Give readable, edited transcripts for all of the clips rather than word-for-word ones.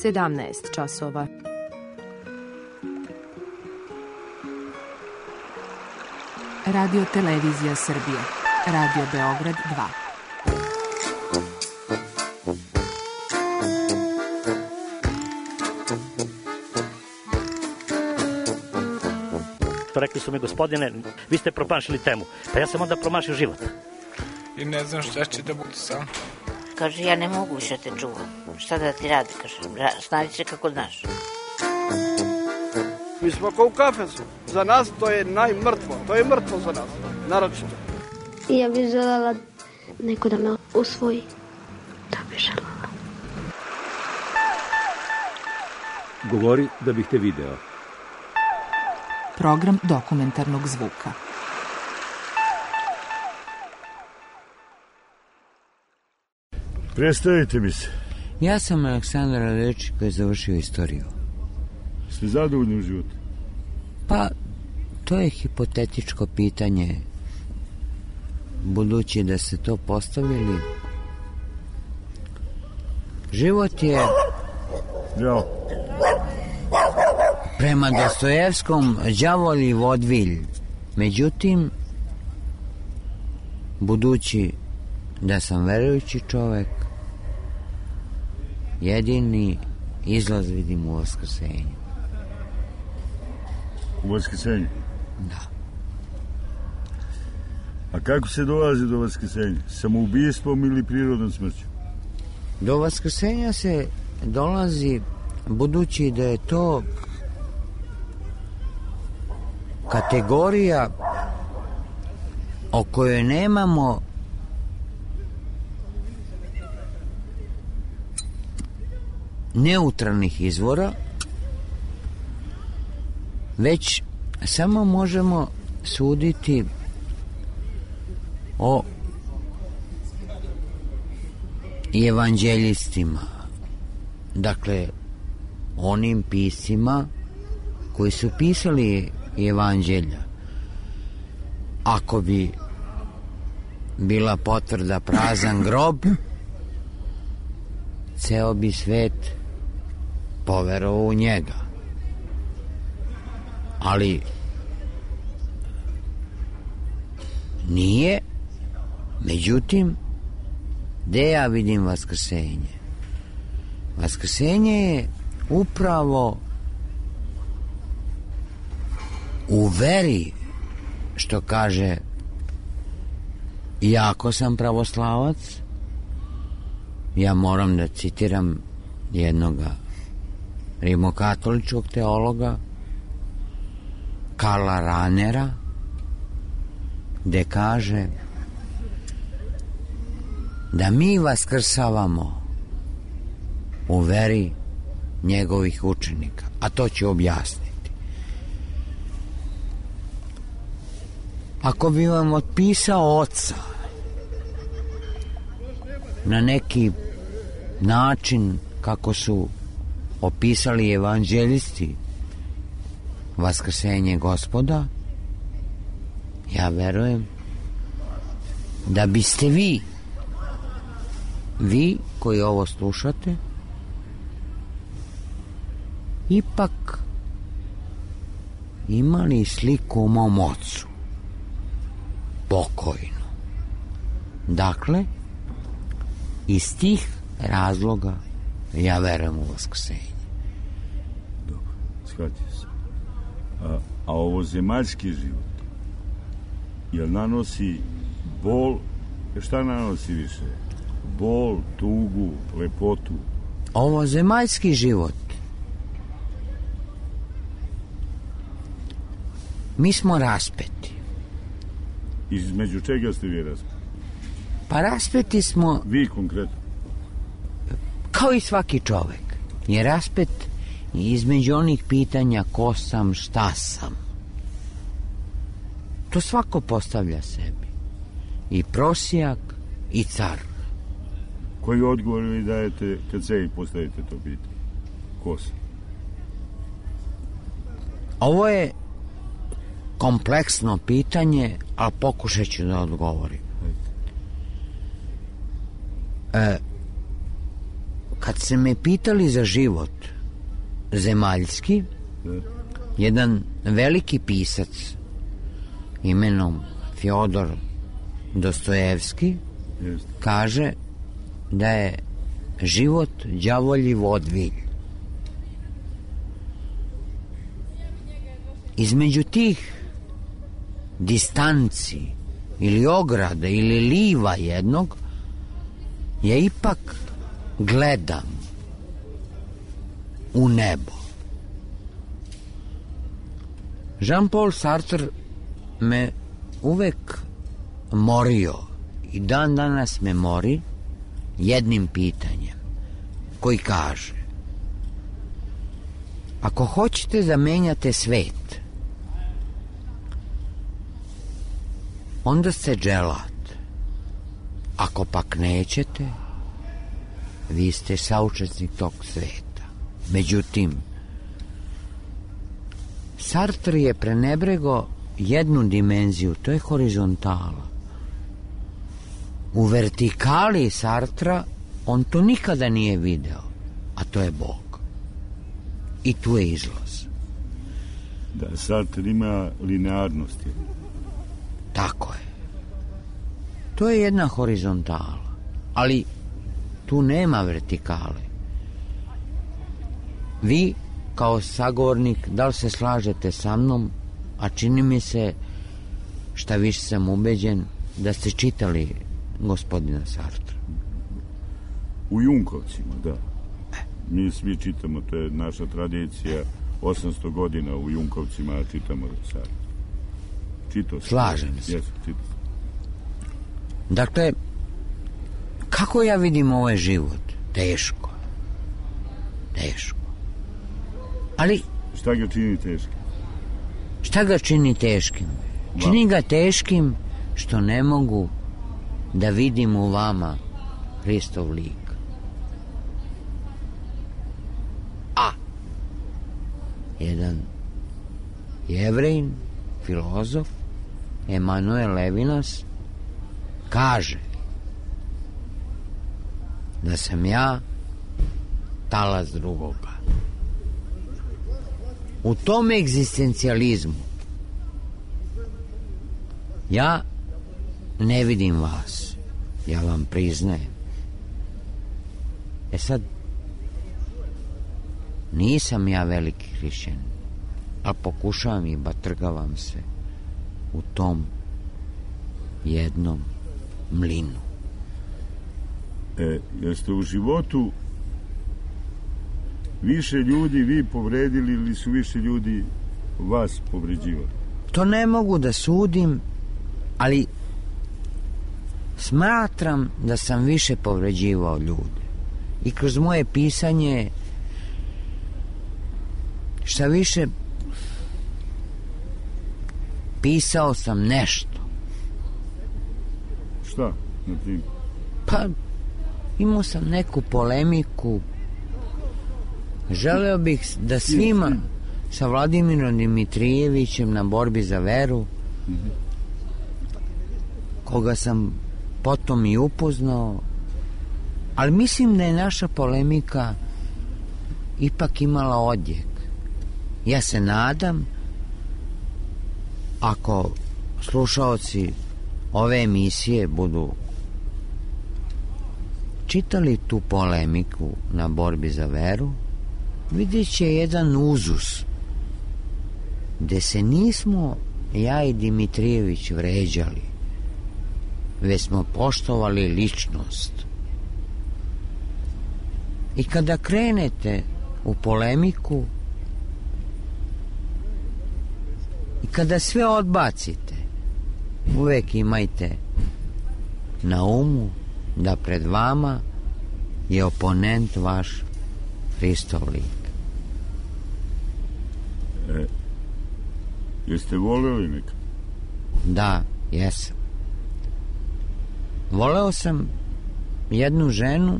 17 časova. Radio Televizija Srbije. Radio Beograd 2. Rekli su mi, gospodine, vi ste promašili temu. Pa ja sam onda promašio život. I ne znam šta će da bude sam. Kaže, ja ne mogu više te čuvam. Šta da ti radi, kaže, snađi se kako znaš. Mi smo kao u kafesu. Za nas to je najmrtvo. To je mrtvo za nas, naročito. Ja bih želela neko da me usvoji. To bih želela. Govori da bih te video. Program dokumentarnog zvuka. Predstavite mi se. Ja sam Aleksandar Radečić koji je završio istoriju. Ste zadovoljni u životu? Pa, to je hipotetičko pitanje. Budući da ste to postavili, život je... Ja. Prema Dostojevskom đavolji vodvilj. Međutim, budući da sam verujući čovek, jedini izlaz vidim u vaskrsenju. U vaskrsenju? Da. A kako se dolazi do vaskrsenja? Samoubistvom ili prirodnom smrću? Do vaskrsenja se dolazi budući da je to kategorija o kojoj nemamo neutralnih izvora, već samo možemo suditi o evanđelistima, dakle onim piscima koji su pisali evanđelja. Ako bi bila potvrda prazan grob, ceo bi svet poverovao u njega. Ali nije. Međutim, gde ja vidim vaskrsenje? Vaskrsenje je upravo u veri, što kaže, iako sam pravoslavac, ja moram da citiram jednog rimokatoličkog teologa, Karla Ranera, gde kaže da mi vaskrsavamo u veri njegovih učenika, a to ću objasniti. Ako bi vam otpisao oca na neki način kako su opisali evanđelisti vaskrsenje Gospoda, ja verujem da biste vi koji ovo slušate, ipak imali sliku o mom ocu, pokojnu. Dakle, iz tih razloga ja verujem u vaskrsenje. Dobro, shvatio sam. A ovo zemaljski život, jel nanosi bol, šta nanosi više? Bol, tugu, lepotu? Ovo zemaljski život, mi smo raspeti. Između čega ste vi raspeti? Pa raspeti smo... Vi konkretno? Kao i svaki čovek je raspet između onih pitanja ko sam, šta sam. To svako postavlja sebi. I prosjak, i car. Koji odgovor vi dajete kad sebi postavite to pitanje? Ko sam? Ovo je kompleksno pitanje, ali pokušat ću da odgovorim. kad se me pitali za život zemaljski, jedan veliki pisac imenom Fjodor Dostojevski kaže da je život đavolji vodvilj. Između tih distanci ili ograda ili liva jednog ja ipak gledam u nebo. Jean-Paul Sartre me uvek morio i dan danas me mori jednim pitanjem koji kaže: ako hoćete da menjate svet, onda ste dželat. Ako pak nećete, vi ste saučesnik tog sveta. Međutim, Sartre je prenebrego jednu dimenziju, to je horizontala. U vertikali Sartra on to nikada nije video, a to je Bog. I tu je izlaz. Da, Sartre ima linearnost. Tako je. To je jedna horizontala, ali tu nema vertikale. Vi, kao sagovornik, da li se slažete sa mnom, a čini mi se, šta više sam ubeđen, da ste čitali gospodina Sartra. U Junkovcima, da. Mi svi čitamo, to je naša tradicija, 800 godina u Junkovcima čitamo Sartra. Čitao sam. Slažem se. Jesu, čitao. Dakle, kako ja vidim ovaj život? Teško. Teško. Ali... Šta ga čini teškim? Šta ga čini teškim? Čini ga teškim što ne mogu da vidim u vama Hristov lik. A jedan Jevrejin, filozof, Emanuel Levinas, kaže da sam ja talac drugoga. U tom egzistencijalizmu ja ne vidim vas, ja vam priznajem. E sad, nisam ja veliki hrišćanin, ali pokušavam i batrgavam se u tom jednom mlinu. Jeste u životu više ljudi vi povredili ili su više ljudi vas povređivali? To ne mogu da sudim, ali smatram da sam više povređivao ljude. I kroz moje pisanje, šta više, pisao sam nešto. Šta? Pa, imao sam neku polemiku. Želeo bih da svima sa Vladimirom Dimitrijevićem na borbi za veru, koga sam potom i upoznao, ali mislim da je naša polemika ipak imala odjek. Ja se nadam, ako slušaoci ove emisije budu čitali tu polemiku na borbi za veru, vidjet će jedan uzus gde se nismo ja i Dimitrijević vređali, već smo poštovali ličnost. I kada krenete u polemiku i kada sve odbacite, uvek imajte na umu da pred vama je oponent vaš Hristov lik. Jeste voleli nekad? Da, jesam. Voleo sam jednu ženu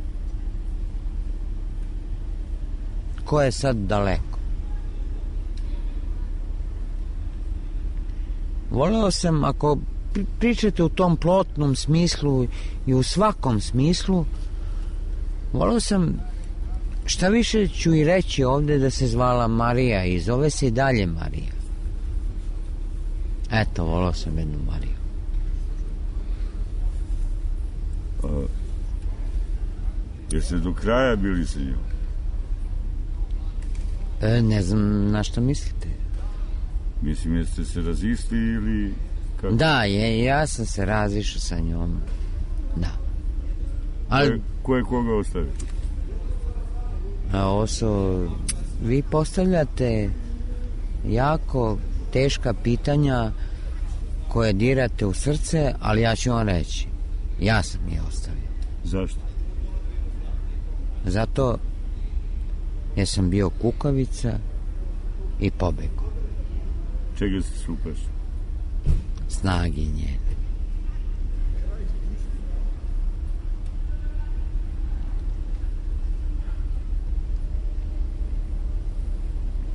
koja je sad daleko. Voleo sam, ako pričate u tom plotnom smislu i u svakom smislu, voleo sam šta više ću i reći ovdje da se zvala Marija i zove se i dalje Marija. Eto, volao sam jednu Mariju. Jeste do kraja bili sa njom? Ne znam na što mislite. Mislim, jeste se razišli ili... Kako? Da, ja sam se razišao sa njom. Da. Ali... Ko je koga ostavio? Ovo su... Vi postavljate jako teška pitanja koje dirate u srce, ali ja ću vam reći. Ja sam je ostavio. Zašto? Zato jer sam bio kukavica i pobegao. Čega ste se uplašili? Snagi njene.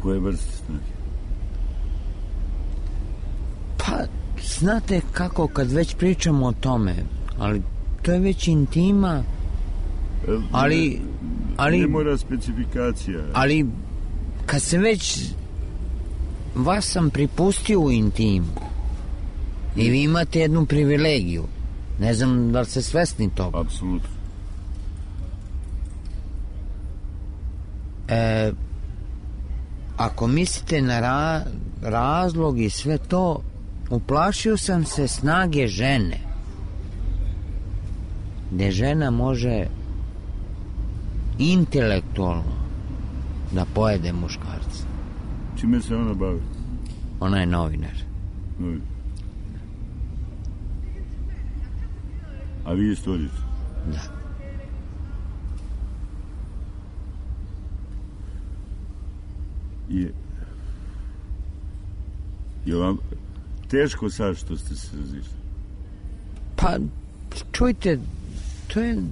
Koje vrste snage? Pa, znate kako, kad već pričamo o tome, ali to je već intima, ali ne mora specifikacija. Ali kad se već vas sam pripustio u intimu i vi imate jednu privilegiju, ne znam da li ste svesni toga. Apsolutno. Ako mislite na razlog i sve to, uplašio sam se snage žene, gde žena može intelektualno da pojede muškarca. Čime se ona bavi? Ona je novinar. A vi istoričar? Da. Je vam teško sad što ste se razišli? Pa, čujte, to je...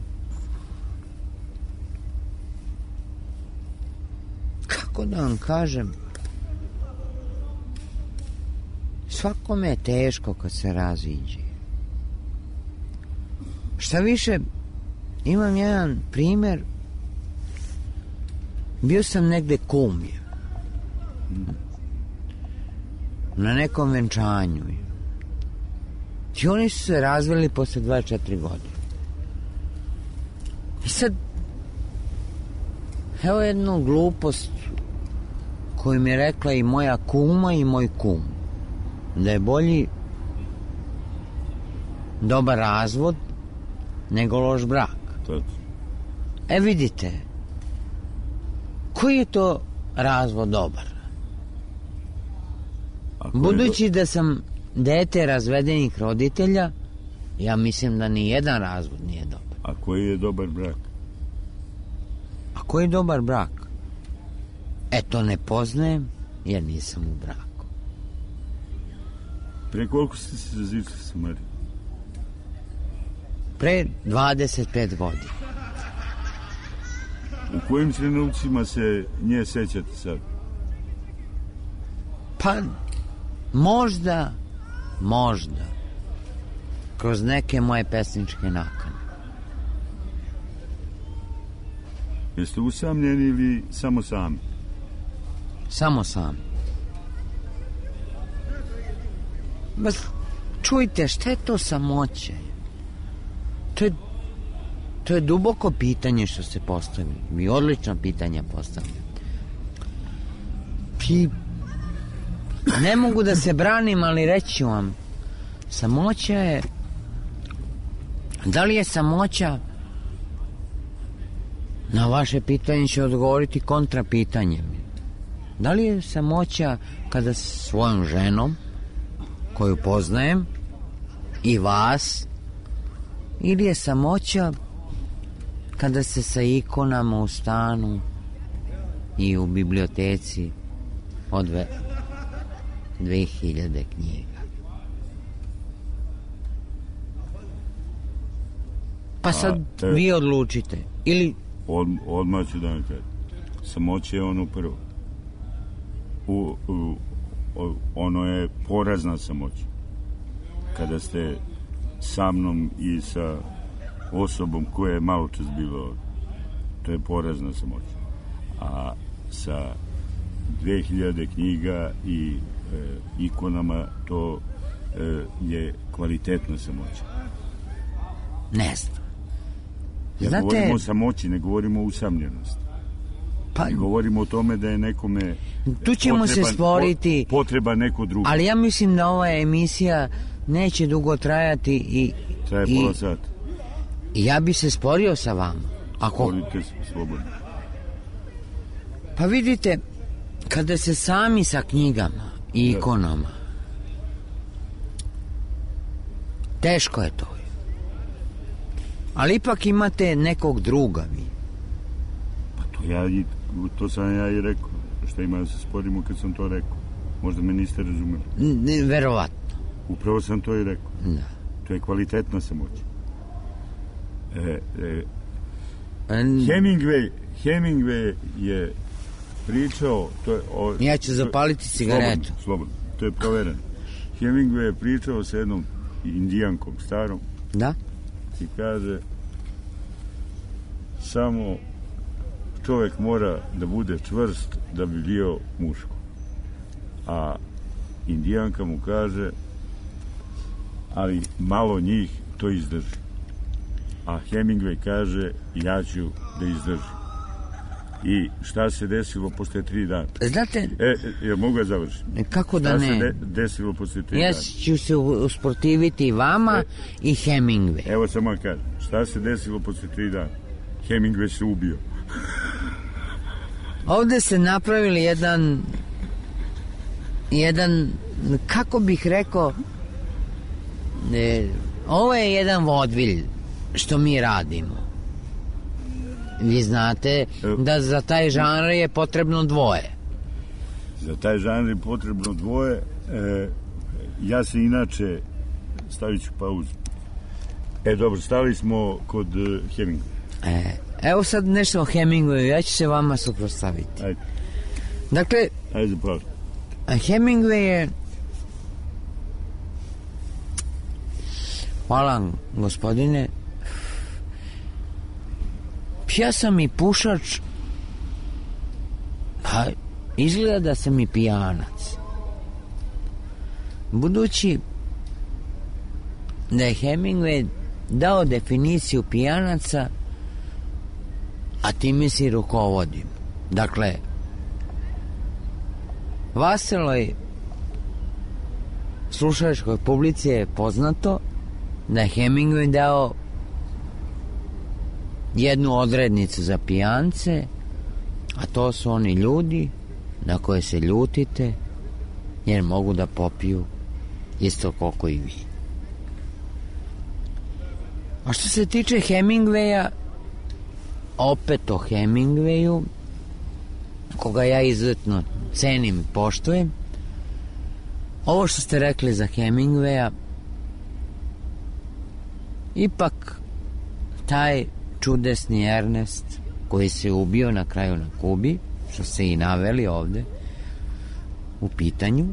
Kako da vam kažem? Svakome je teško kad se raziđe. Šta više, imam jedan primjer. Bio sam negde kumlje. Na nekom venčanju. I oni su se razveli posle 24 godine. I sad, evo jednu glupost koju mi je rekla i moja kuma i moj kum. Da je bolji dobar razvod nego loš brak. Vidite, koji je to razvod dobar? Budući da sam dete razvedenih roditelja, ja mislim da ni jedan razvod nije dobar. A koji je dobar brak? A koji je dobar brak? To ne poznajem jer nisam u braku. Pre koliko ste se razišli sa Marijom? Pre 25 godina. U kojim trenucima se nje sećate sad? Pa, možda, kroz neke moje pesničke nakane. Jeste usamljeni ili samo sami? Samo sami. Čujte, šta je to samoće? To je duboko pitanje što ste postavili. Vi odlično pitanje postavili. Ne mogu da se branim, ali reći vam, samoća je... Da li je samoća? Na vaše pitanje ću odgovoriti kontra pitanjem. Da li je samoća kada s svojom ženom, koju poznajem, i vas, ili je samoća kada se sa ikonama u stanu i u biblioteci odve 2000 knjiga? Pa sad vi odlučite. Ili... Odmah ću da vam kažem. Samoća je ono prvo. Ono je porazna samoća. Kada ste sa mnom i sa osobom koja je malo čas bila ovdje. To je porazna samoća. a sa 2000 knjiga i ikonama to je kvalitetna samoća. Ne znam. Ja govorimo o samoći, ne govorimo o usamljenosti. Pa, ne govorimo o tome da je nekome tu ćemo se sporiti, potreba neko drugo. Ali ja mislim da ova emisija neće dugo trajati i traje pola sata. I ja bi se sporio sa vama. Sporite slobodno. Pa vidite, kada se sami sa knjigama i ikonama, teško je to. Ali ipak imate nekog druga vi. Pa to sam ja i rekao. Šta ima da se sporimo kad sam to rekao? Možda me niste razumeli. Verovatno. Upravo sam to i rekao. Da. To je kvalitetna samoć. Hemingway je pričao... Ja ću zapaliti cigaretu. Slobodno. To je provereno. Hemingway je pričao sa jednom indijankom starom. Da? I kaže, samo čovjek mora da bude čvrst da bi bio muško. A indijanka mu kaže, ali malo njih to izdrži. A Hemingway kaže, ja ću da izdržim. I šta se desilo posle 3 dana? Znate... Ja mogu da završim? Kako da ne? Šta se desilo posle 3 dana? Ja ću se usportiviti vama i Hemingway. Evo samo vam kažem, šta se desilo posle 3 dana? Hemingway se ubio. Ovde se napravili jedan, kako bih rekao, ovo je jedan vodvilj što mi radimo. Vi znate da za taj žanr je potrebno dvoje. Za taj žanr je potrebno dvoje. Ja se inače, stavit ću pauzu. Dobro, stali smo kod Hemingway. Evo sad nešto o Hemingwayu, ja ću se vama suprotstaviti. Ajde. Dakle, ajde, pravo. Hemingway je... Hvala, gospodine. Ja sam i pušač, pa izgleda da sam i pijanac. Budući da je Hemingway dao definiciju pijanaca, a time si rukovodim. Dakle, vaseloj slušaličkoj publici je poznato da je Hemingway dao jednu odrednicu za pijance, a to su oni ljudi na koje se ljutite jer mogu da popiju isto koliko i vi. A što se tiče Hemingwaya, opet o Hemingwayu, koga ja izuzetno cenim i poštujem, ovo što ste rekli za Hemingwaya, ipak taj čudesni Ernest koji se ubio na kraju na Kubi, što se i naveli ovde u pitanju,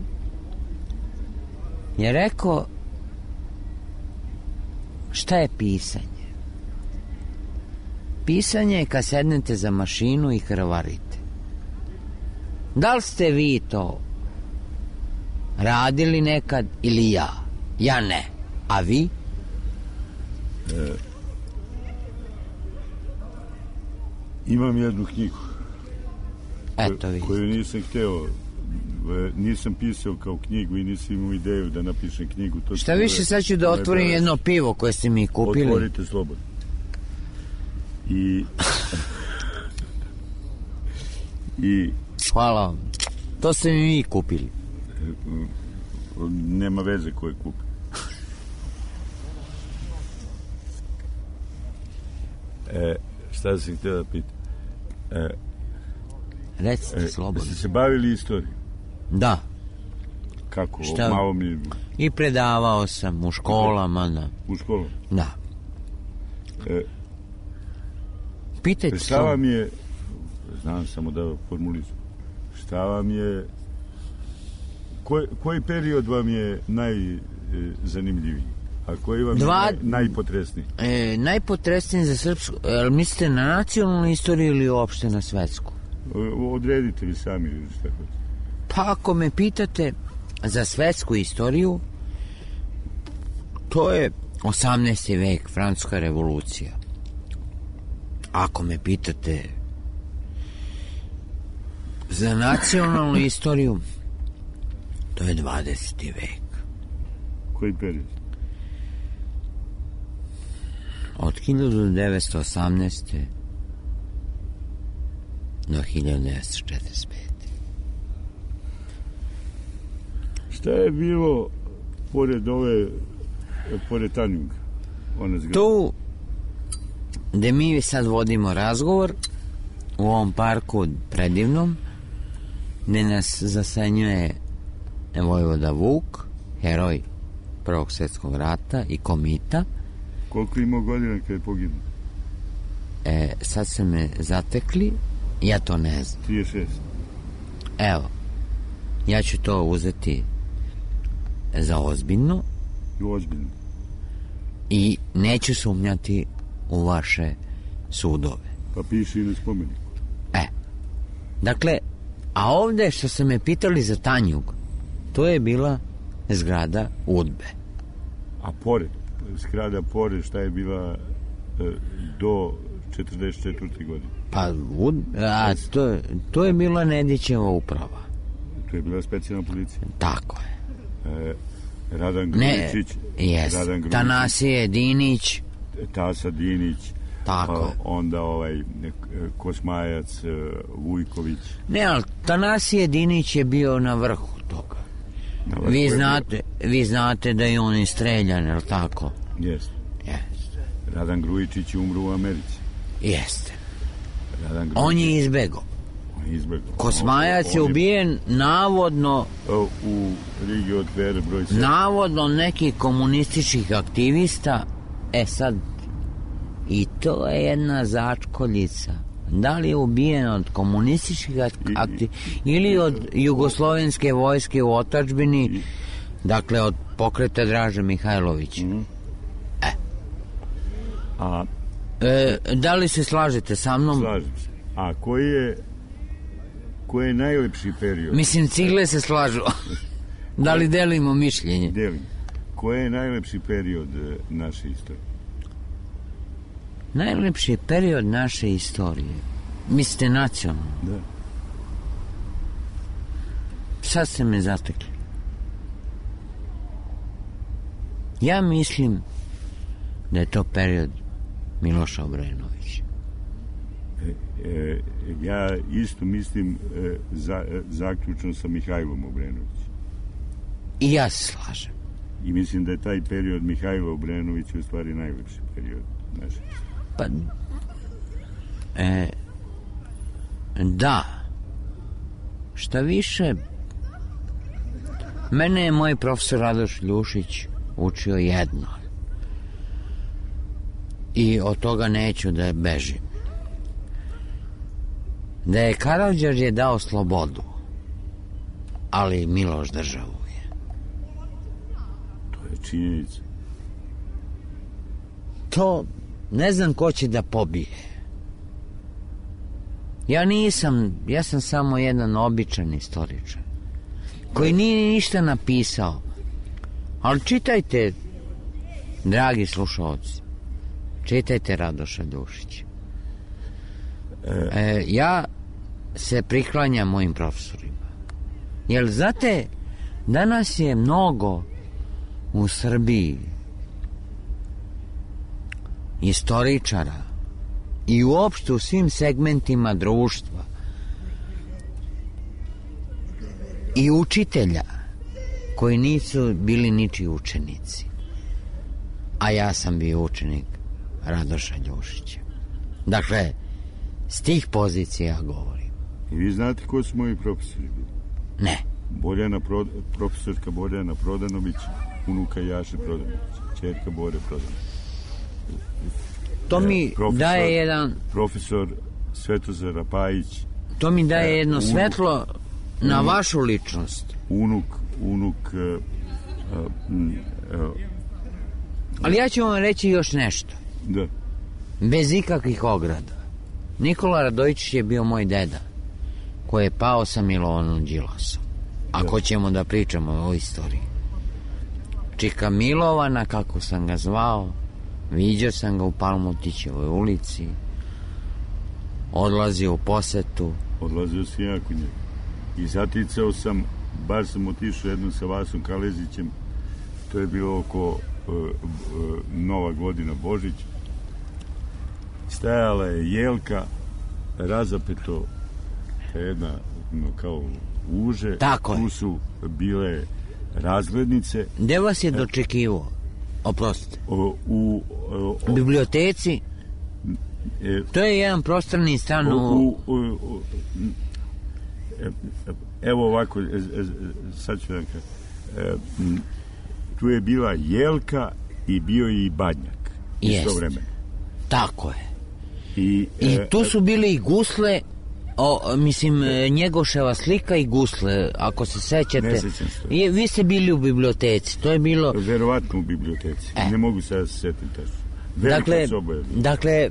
je rekao šta je pisanje. Pisanje je kad sednete za mašinu i krvarite. Da li ste vi to radili nekad ili ja? Ja ne. A vi? Imam jednu knjigu. Eto vi. Koju nisam hteo, nisam pisao kao knjigu i nisam imao ideju da napišem knjigu. To šta više, sad ću da otvorim jedno pivo koje ste mi kupili. Otvorite slobodno. I hvala vam. To ste mi vi kupili. Nema veze ko je kupio. Šta sam htio da pitam? Recite slobodno. Ste se bavili istorijom? Da. Kako? Šta? Malo mi... I predavao sam u školama. Da. U školama? Da. Pitajte šta vam je, znam samo da formulizujem, šta vam je, koji period vam je najzanimljiviji? A koji vam je najpotresniji? Najpotresniji za srpsku, mislite na nacionalnu istoriju ili uopšte na svetsku? Odredite vi sami šta hoćete. Pa ako me pitate za svetsku istoriju, to je 18. vek, Francuska revolucija. Ako me pitate za nacionalnu istoriju, to je 20. vek. Koji period? Od 1918. do 1945. Šta je bilo pored Tanjuga? Tu gde mi sad vodimo razgovor, u ovom parku predivnom, gde nas zasenjuje vojvoda Vuk, heroj Prvog svjetskog rata i komita. Koliko imao godina kada je poginuo? Sad se me zatekli, ja to ne znam. 36. Evo, ja ću to uzeti za ozbiljno. Ozbiljno. I neću sumnjati u vaše sudove. Pa piši i na spomeniku. Dakle, a ovde što ste me pitali za Tanjug, to je bila zgrada UDBE. A pored, zgrada pored, šta je bila do 44. godine? Pa, to je bila Nedićeva uprava. To je bila specijalna policija. Tako je. Radan Grujičić. Tanasije Dinić. Tasa Dinić. Tako. Onda Kosmajac, Vujković. Ne, ali Tanasije Dinić je bio na vrhu toga. Vi znate da je on istreljan, je li tako? Jeste. Radan Grujičić je umro u Americi. Jeste. On je izbegao. Kosmajac je ubijen navodno u Rigi od Vere broj 7. Navodno nekih komunističkih aktivista. Sad i to je jedna začkoljica. Da li je ubijen od komunističkih aktivista ili od jugoslovenske vojske u otadžbini, dakle od pokreta Draže Mihajlovića. Da li se slažete sa mnom? Slažem se. A koji je najlepši period? Mislim, cigle se slažu. Da li delimo mišljenje? Delim. Koji je najlepši period naše istorije? Najlepši period naše istorije? Mislite nacionalno? Da. Sad ste me zatekli. Ja mislim da je to period Miloša Obrenovića. Ja isto mislim zaključno sa Mihajlom Obrenovićem. I ja se slažem. I mislim da je taj period Mihajla Obrenovića u stvari najlepši period naše. Pa da, šta više, mene je moj profesor Radoš Ljušić učio jedno i od toga neću da bežim, da je Karađorđe dao slobodu, ali Miloš državu je. To je činjenica. To ne znam ko će da pobije. Ja sam samo jedan običan istoričar koji nije ništa napisao, ali čitajte, dragi slušalci, čitajte Radoša Ljušića. Ja se priklanjam mojim profesorima, jer znate, danas je mnogo u Srbiji istoričara i uopšte u svim segmentima društva i učitelja koji nisu bili ničiji učenici, a ja sam bio učenik Radoša Ljušića. Dakle, s tih pozicija govorim. I vi znate ko su moji profesori bili? Ne. Profesorka Borjana Prodanović, unuka Jaše Prodanović, čerka Bore Prodanović. To mi daje jedan... Profesor Svetozar Rapajić. To mi daje jedno svetlo na vašu ličnost. Unuk... Ali ja ću vam reći još nešto. Da. Bez ikakvih ograda. Nikola Radojičić je bio moj deda. koji je pao sa Milovanom Đilasom. Ako ćemo da pričamo o istoriji. Čika Milovana, kako sam ga zvao, viđao sam ga u Palmotićevoj ulici, odlazio u posetu. Odlazio sam ja kod njega. I zaticao sam, baš sam otišao jednom sa Vasom Kalezićem, to je bilo oko Nova godina, Božić. Stajala je jelka, razapeto jedna kao uže. Tako tu su bile razglednice. Gde vas je dočekivao? Oprostite. U biblioteci? To je jedan prostorni stan evo ovako, sad ću vam kažem. Tu je bila jelka i bio je i badnjak. Isto vremena. Tako je. I tu su bili i gusle, Njegoševa slika i gusle, ako se sećate. Ne sećam se. Vi ste bili u biblioteci, to je bilo... Verovatno u biblioteci, ne mogu sad da se setim tačno. Velika soba je bila. Dakle,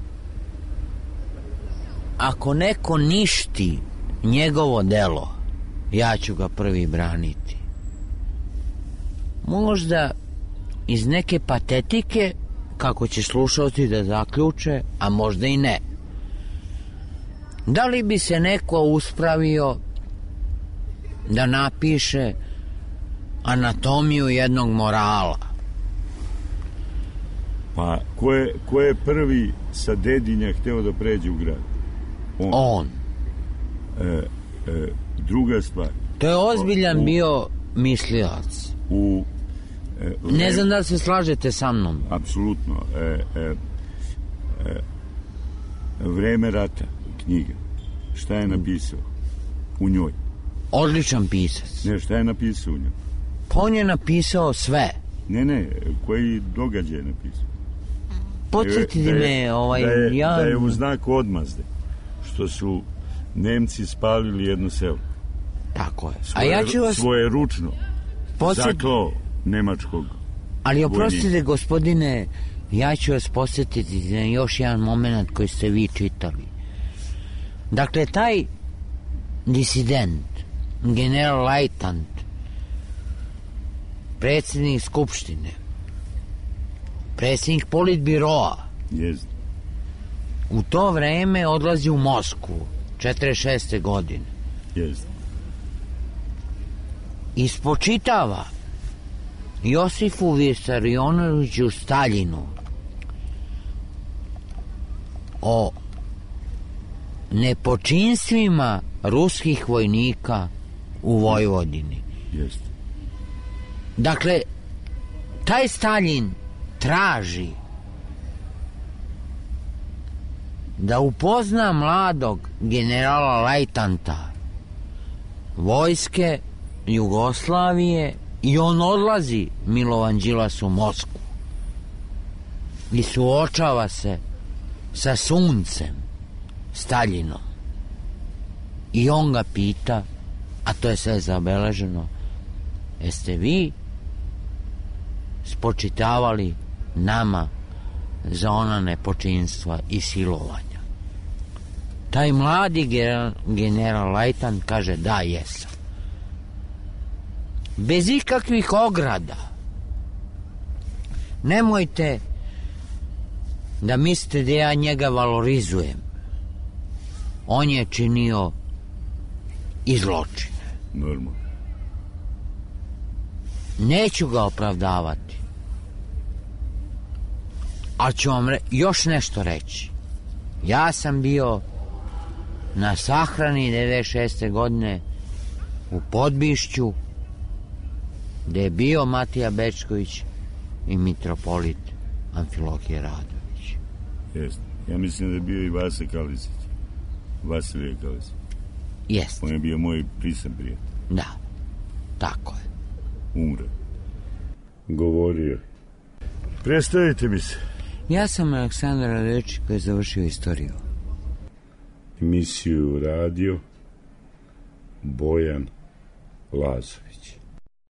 ako neko ništi njegovo delo, ja ću ga prvi braniti. Možda iz neke patetike, kako će slušalci da zaključe, a možda i ne. Da li bi se neko uspravio da napiše anatomiju jednog morala? Pa, ko je prvi sa Dedinja hteo da pređe u grad? On. Druga stvar. To je ozbiljan bio mislilac. Ne znam da se slažete sa mnom. Apsolutno. Vreme rata, knjiga. Šta je napisao u njoj? Odličan pisac. Ne, šta je napisao u njoj? Pa on je napisao sve. Ne, koji događaj je napisao? Podsjetite me, da je u znaku odmazde, što su Nemci spalili jedno selo. Tako je. Svoje ručno zaklao nemačkog. Ali oprostite, gospodine, ja ću vas podsjetiti na još jedan moment koji ste vi čitali. Dakle, taj disident, general Lajtant, predsjednik Skupštine, predsjednik Politbiroa, u to vreme odlazi u Moskvu, 46. godine. Ispočitava Josifu Visarionoviću Staljinu o nepočinstvima ruskih vojnika u Vojvodini. Dakle, taj Staljin traži da upozna mladog generala Lajtanta vojske Jugoslavije i on odlazi, Milovan Đilas, u Moskvu i suočava se sa suncem Staljinom i on ga pita, a to je sve zabeleženo, jeste vi spočitavali nama za ona nepočinstva i silovanja? Taj mladi general Lajtant kaže da, jesam. Bez ikakvih ograda. Nemojte da mislite da ja njega valorizujem. On je činio i zločine. Normalno. Neću ga opravdavati. Ali ću vam još nešto reći. Ja sam bio na sahrani 96. godine u Podbišću, gde je bio Matija Bečković i mitropolit Amfilohije Radović. Jeste. Ja mislim da je bio i Vasa Kalisić. Vasilije Kalisić. Jeste. On je bio moj prisan prijatelj. Da, tako je. Umre. Govorio. Predstavite mi se. Ja sam Aleksandar Radović koji je završio istoriju. Emisiju radio Bojan Lazović.